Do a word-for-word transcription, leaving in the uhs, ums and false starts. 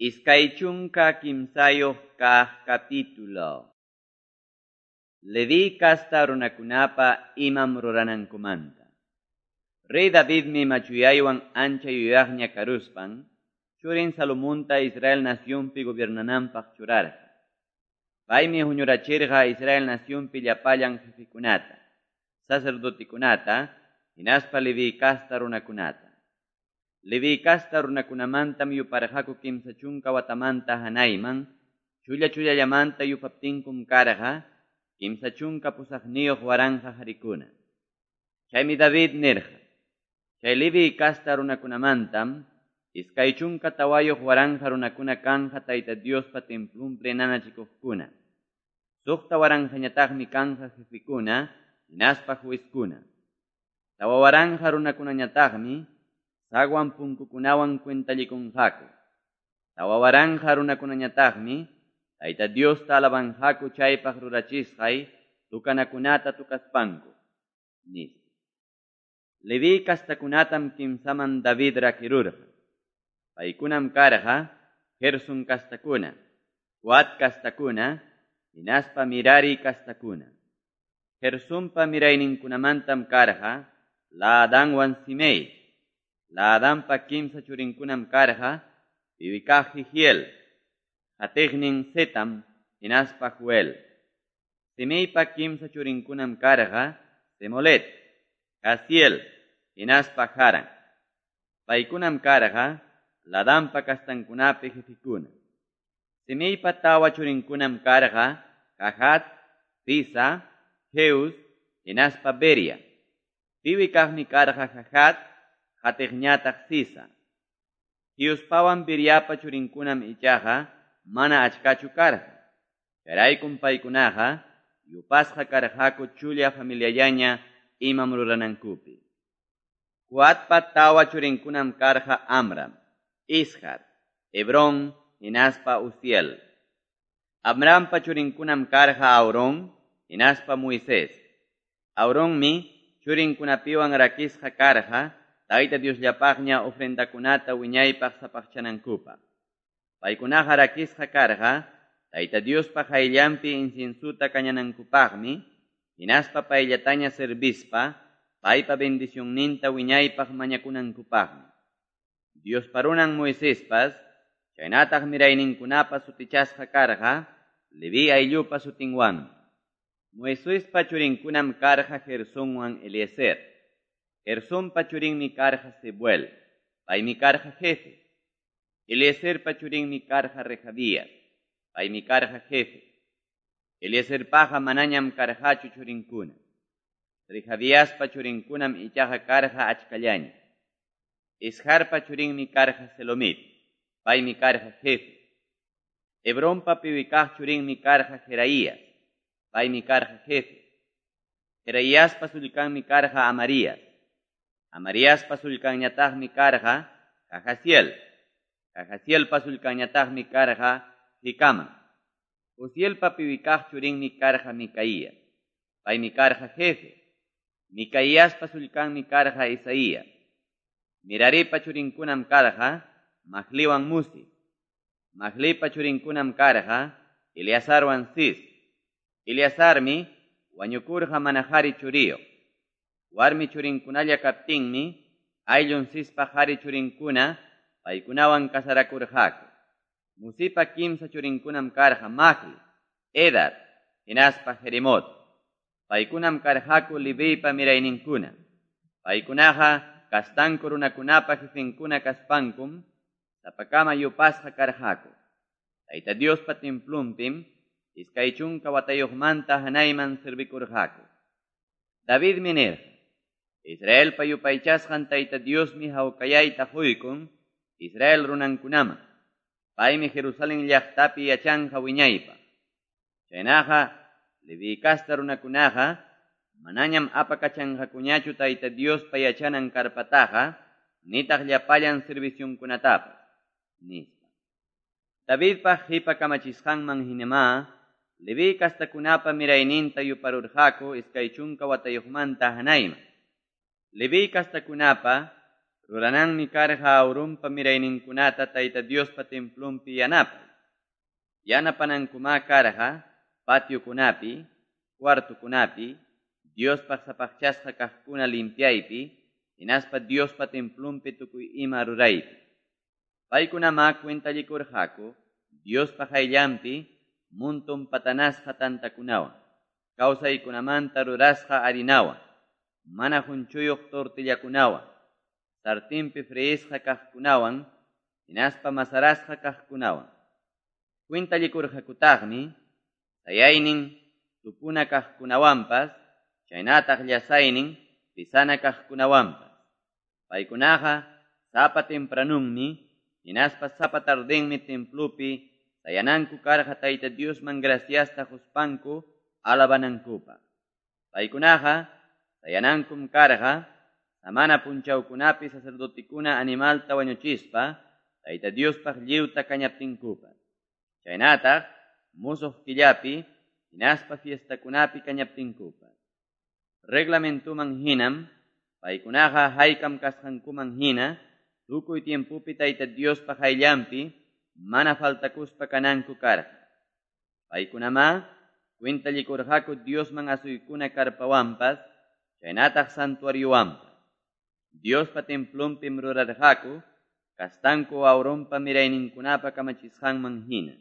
Iskay chunka kimsayuq kaq capítulo. Leví casta runakunapa imam ruranankumanta. Rey Davidmi machuyaywan ancha yuyaqña karuspan, churin Salomonta Israel nacionpi gobiernananpaq churarqa. Paymi huñurachirqa Israel nacionpi llapallan jefekunata, sacerdotekunata, hinaspa Leví casta runakunata. Leví casta runakunamantam yuparqaku kimsa chunka watamanta hanayman, chulla chullallamanta yupaptinkum karqa, kimsa chunka pusaqniyuq waranqa harikuna. Chaymi David nirqa, chay Leví casta runakunamantam, iskay chunka tawayuq waranqa runakuna kanja Tayta Diospa templunpi nanachikuqkuna. Suqta waranqañataqmi kanja jefekuna, hinaspa juezkuna. Tawa waranqa runakunañataqmi, sagwan punkukunawan cuentallikunqaku. Tawa waranqa runakunañataqmi, Tayta Diosta alabanqaku chaypaq rurachisqay tukanakunata tukaspanku, nispa. Leví kastakunatam kimsaman David rakirurqa. Paykunam karqa Gerson kastakuna, Coat kastakuna, hinaspa Mirari kastakuna. Gersonpa mirayninkunamantam karqa Laadanwan Simei. Laadanpa kimsa churinkunam karqa piwikaq Jehiel, qatiqnin Zetam, hinaspa Joel. Simeipa kimsa churinkunam karqa Semolet, Jaziel, hinaspa Haran. Paykunam karqa Ladanpa kastankunapi jefekuna. Simeipa tawa churinkunam karqa Jahat, Ziza, Jeus, hinaspa Beria. Piwikaqmi karqa Jahat, qatiqñataq Ziza. Jeuspawan Beriapa churinkunam ichaqa mana achkachu karqa. Chayraykum paykunaqa yupasqa karqaku chulla familiallaña imam ruranankupi. Coatpa tawa churinkunam karqa Amram, Izhar, Hebrón, hinaspa Uziel. Amrampa churinkunam karqa Aarón, hinaspa Moisés. Aaronmi churinkunapiwan rakisqa karqa Tayta Diosllapaqña ofrendakunata wiñaypaq sapaqchanankupaq. Paykunaqa rakisqa karqa Tayta Diospa qayllanpi inciensuta kañanankupaqmi, hinaspa payllataña servispa, paypa bendicionninta wiñaypaq mañakunankupaqmi. Diospa runan Moisespas, chaynataq mirayninkunapa sutichasqa karqa, Leví ayllupa sutinwanmi. Moisespa churinkunam karqa Gersonwan Eliezer. Gersonpa churinmi karqa Sebuel, paymi karqa jefe. Eliezerpa churinmi karqa Rehabías, paymi karqa jefe. Eliezerpaqa manañam karqachu churinkuna. Rehabiaspa churinkunam ichaqa karqa achkallaña. Izharpa churinmi karqa Selomit, paymi karqa jefe. Hebronpa piwikaq churinmi karqa Jeraías, paymi karqa jefe. Jeraíaspa sullkanmi karqa Amarías. Amaríaspa sullkanñataqmi karqa Jahaziel. Jahazielpa sullkanñataqmi karqa Jicama. Uzielpa piwikaq churinmi karqa Micaías, paymi karqa jefe. Micaíaspa sullkanmi karqa Isaías. Miraripa churinkunam karqa Mahliwan Musi. Mahlipa churinkunam karqa Eleazarwan Cis. Eleazarmi wañukurqa mana qhari churiyuq. Warmi churinkunalla kaptinmi ayllun Cispa qhari churinkuna paykunawan kasarakurqaku. Musipa kimsa churinkunam karqa Mahli, Edar, hinaspa Jerimot. Paykunam karqaku Levipa mirayninkuna. Paykunaqa kastanku runakunapa jefenkuna kaspankum sapakama yupasqa karqaku. Tayta Diospa templunpim iskay chunka watayuqmanta hanayman servikurqaku. Davidmi nirqa, Israelpa yupaychasqan Tayta Diosmi hawkayayta quykun Israel runankunaman. Paymi Jerusalén llaqtapi yachanqa wiñaypaq. Chaynaqa Leví casta runakunaqa manañam apakachanqakuñachu Tayta Diospa yachanan karpataqa, nitaq llapallan servicionkunatapas, nispa. Davidpa qipa kamachisqanman hinamá, Leví kastakunapa mirayninta yuparurqaku iskay chunka watayuqmanta hanayman. Leví kastakunapa Rurananmi karqa Aaronpa mirayninkunata Tayta Diospa templonpi yanapay. Yanapanankumá karqa patiokunapi, cuartokunapi, Diospaq sapaqchasqa kaqkuna limpiaypi hinaspa Diospa templonpi tukuy ima ruraypi. Paykunamá cuentallikurqaku Diospa qayllanpi monton patanasqa tantakunawan, kawsaykunamanta rurasqa harinawan, mana qonchuyuq tortillakunawan, sartenpi freisqa kaqkunawan, hinaspa masarasqa kaqkunawan. Cuentallikurqakutaqmi sayaynin tupuna kaqkunawanpas, chaynataq llasaynin pisana kaqkunawanpas. Paykunaqa sapa tempranunmi, hinaspa sapa tardenmi templopi sayananku karqa Tayta Diosman graciasta quspanku alabanankupaq. Paykunaqa sayanankum karqa samana punchawkunapi sacerdotekuna animalta wañuchispa Tayta Diospaq lliwta kañaptinkupas. Chaynataq musuq killapi hinaspa fiestakunapi kañaptinkupas. Reglamentuman hinam paykunaqa haykam kasqankuman hina tukuy tiempopi Tayta Diospa qayllanpi mana faltakuspa kananku karqa. Paykunamá cuentallikurqaku Diosman asuykuna karpawanpas, chaynataq santuariowanpas. Diospa templonpim rurarqaku kastanku Aaronpa mirayninkunapa kamachisqanman hina.